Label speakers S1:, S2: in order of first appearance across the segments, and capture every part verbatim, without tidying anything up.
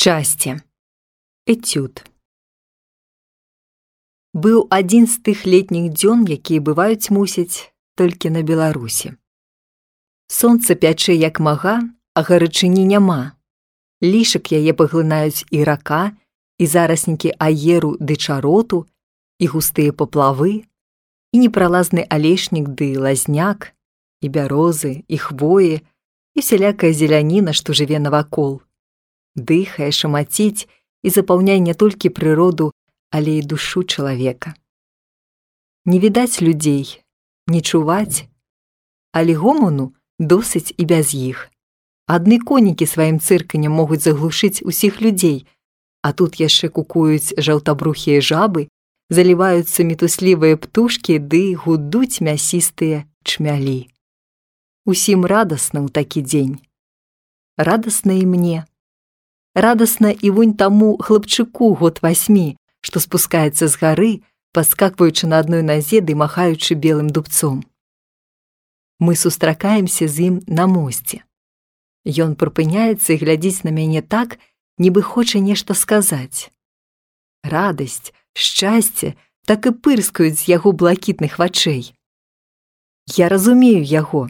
S1: Шчасце. Эцюд. Быў адзін з тых летніх дзён, якія бываюць, мусіць, толькі на Беларусі. Сонца пячэ як мага, а гарачыні няма. Лішак яе паглынаюць і рака, і зараснікі аеру ды чароту, і густыя паплавы, і непралазны алешнік ды лазняк, і бярозы, і хвоі, і всялякая зеляніна, што жыве навакол. Дыхае, шамаціць і запаўняе не толькі прыроду, але і душу чалавека. Не відаць людзей, не чуваць, але гомону досыць і без іх. Адны конікі сваім цырканнем могуць заглушыць усіх людзей, а тут яшчэ кукуюць жаўтабрухія жабы, заліваюцца мітуслівыя птушкі ды гудуць мясістыя чмялі. Усім радасна ў такі дзень. Радасна і мне. Радасна і вунь таму хлапчыку год васьмі, што спускаецца з гары, паскакваючы на адной назе ды махаючы белым дубцом. Мы сустракаемся з ім на мосце. Ён прыпыняецца і глядзіць на мяне так, нібы хоча нешта сказаць. Радасць, шчасце так і пырскаюць з яго блакітных вачэй. Я разумею яго.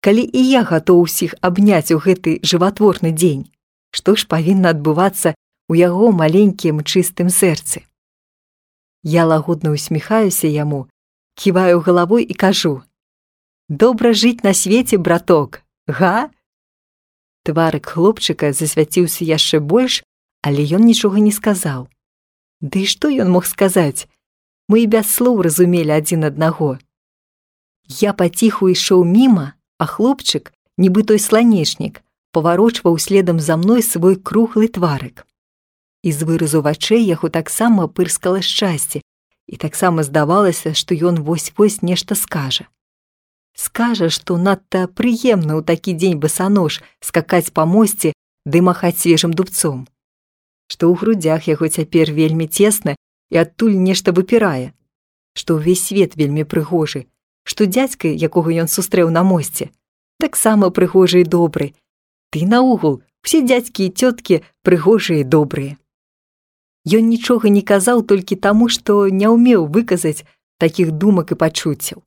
S1: Калі і я гатоў усіх абняць у гэты жыватворны дзень, што ж павінна адбывацца ў яго маленькім чыстым сэрцы? Я лагодна усміхаюся яму, ківаю галавой і кажу: «Добра жыць на свеце, браток, га?» Тварык хлопчыка засвяціўся яшчэ больш, але ён нічога не сказаў. Ды што ён мог сказаць? Мы і без слоў разумелі адзін аднаго. Я паціху ішоў міма, а хлопчык, нібы той сланечнік, паварочваў следам за мной свой круглы тварык. І з выразу вачэй яго таксама пырскала шчасце, і таксама здавалася, што ён вось-вось нешта скажа. Скажа, што надта прыемна ў такі дзень басанож скакаць па мосце ды махаць свежым дубцом, што ў грудзях яго цяпер вельмі цесна і адтуль нешта выпірае, што ўвесь свет вельмі прыгожы, што дзядзька, якога ён сустрэў на мосце, таксама прыгожы і добры. Ты наогул, усе дзядзькі і цёткі прыгожыя і добрыя. Ён нічога не казаў толькі таму, што не ўмеў выказаць такіх думак і пачуццяў.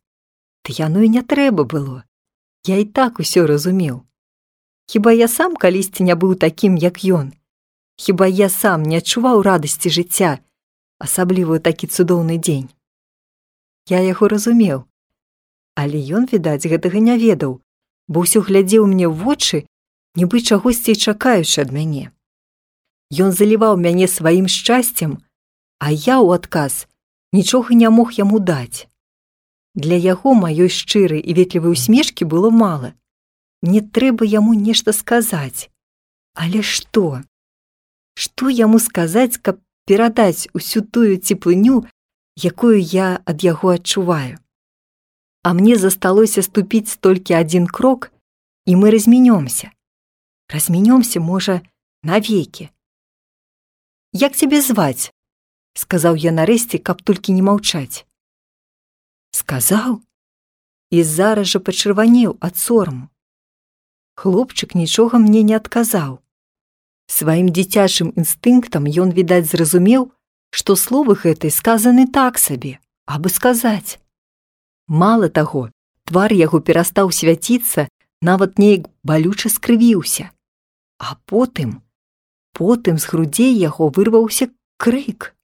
S1: Ды яно і не трэба было. Я і так усё разумеў. Хіба я сам калісьці не быў такім, як ён? Хіба я сам не адчуваў радасці жыцця, асабліва ў такі цудоўны дзень? Я яго разумеў. Але ён, відаць, гэтага не ведаў, бо ўсё глядзеў мне ў вочы, нібы чагосьці чакаючы ад мяне. Ён заліваў мяне сваім шчасцем, а я ў адказ нічога не мог яму даць. Для яго маёй шчырай і ветлівай усмешкі было мала. Мне трэба яму нешта сказаць. Але што? Што яму сказаць, каб перадаць усю тую цеплыню, якую я ад яго адчуваю? А мне засталося ступіць толькі адзін крок, і мы размінёмся. Размінёмся, можа, навекі. «Як цябе зваць?» – сказаў я нарэшце, каб толькі не маўчаць. Сказаў і зараз жа пачырванеў ад сораму. Хлопчык нічога мне не адказаў. Сваім дзіцячым інстынктам ён, відаць, зразумеў, што словы гэтай сказаны так сабе, абы сказаць. Мала таго, твар яго перастаў свяціцца, нават неяк балюча скрывіўся. А потым, потым з грудзей яго вырваўся крык.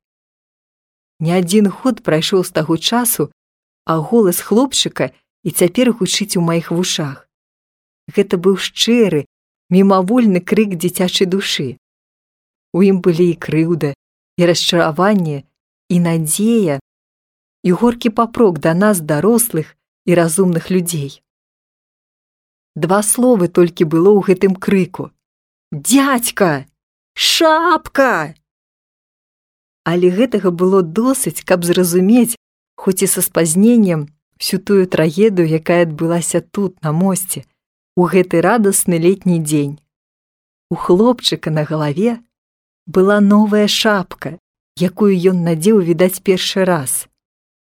S1: Не адзін год прайшоў з таго часу, а голас хлопчыка і цяпер гучыць у маіх вушах. Гэта быў шчыры, мімавольны крык дзіцячай душы. У ім былі і крыўда, і расчараванне, і надзея, і горкі папрок да нас, дарослых і разумных людзей. Два словы толькі было ў гэтым крыку: «Дзядзька! Шапка!» Але гэтага было досыць, каб зразумець, хоць і са спазненнем, всю тую трагедыю, якая адбылася тут, на мосце, у гэты радасны летні дзень. У хлопчыка на галаве была новая шапка, якую ён надзеў, відаць, першы раз.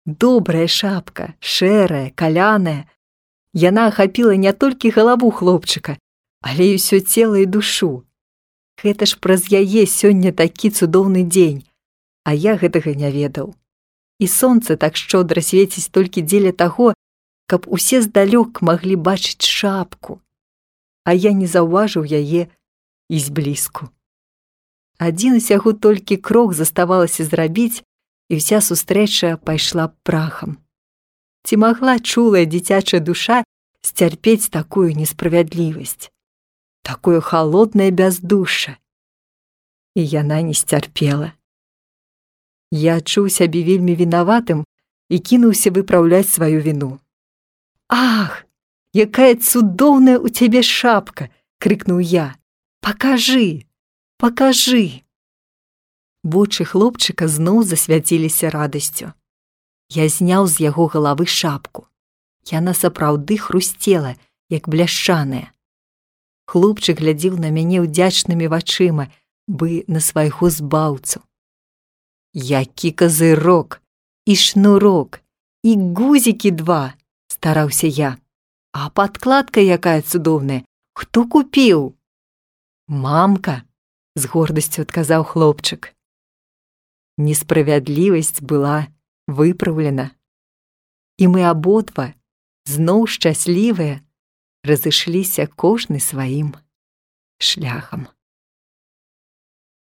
S1: Добрая шапка, шэрая, каляная. Яна ахапіла не толькі галаву хлопчыка, але і ўсё цела і душу. Гэта ж праз яе сёння такі цудоўны дзень, а я гэтага не ведаў. І сонца так шчодра свеціць толькі дзеля таго, каб усе здалёк маглі бачыць шапку, а я не заўважыў яе і зблізку. Адзін усяго толькі крок заставалася зрабіць, і вся сустрэча пайшла прахам. Ці магла чулая дзіцячая душа сцярпець такую несправядлівасць, такое халоднае бяздушча? І яна не сцярпела. Я адчуў сябе вельмі вінаватым і кінуўся выпраўляць сваю віну. «Ах, якая цудоўная ў цябе шапка!» — крыкнуў я. «Пакажы, пакажы!» Вочы хлопчыка зноў засвяціліся радасцю. Я зняў з яго галавы шапку. Яна сапраўды хрусцела, як бляшчаная. Хлопчык глядзеў на мяне ўдзячнымі вачыма, бы на свайго збаўцу. «Які казырок, і шнурок, і гузікі два!» — стараўся я. «А падкладка якая цудоўная! Хто купіў?» «Мамка!» — з гордасцю адказаў хлопчык. Несправядлівасць была выпраўлена. І мы абодва, зноў шчаслівыя, разышліся кожны сваім шляхам.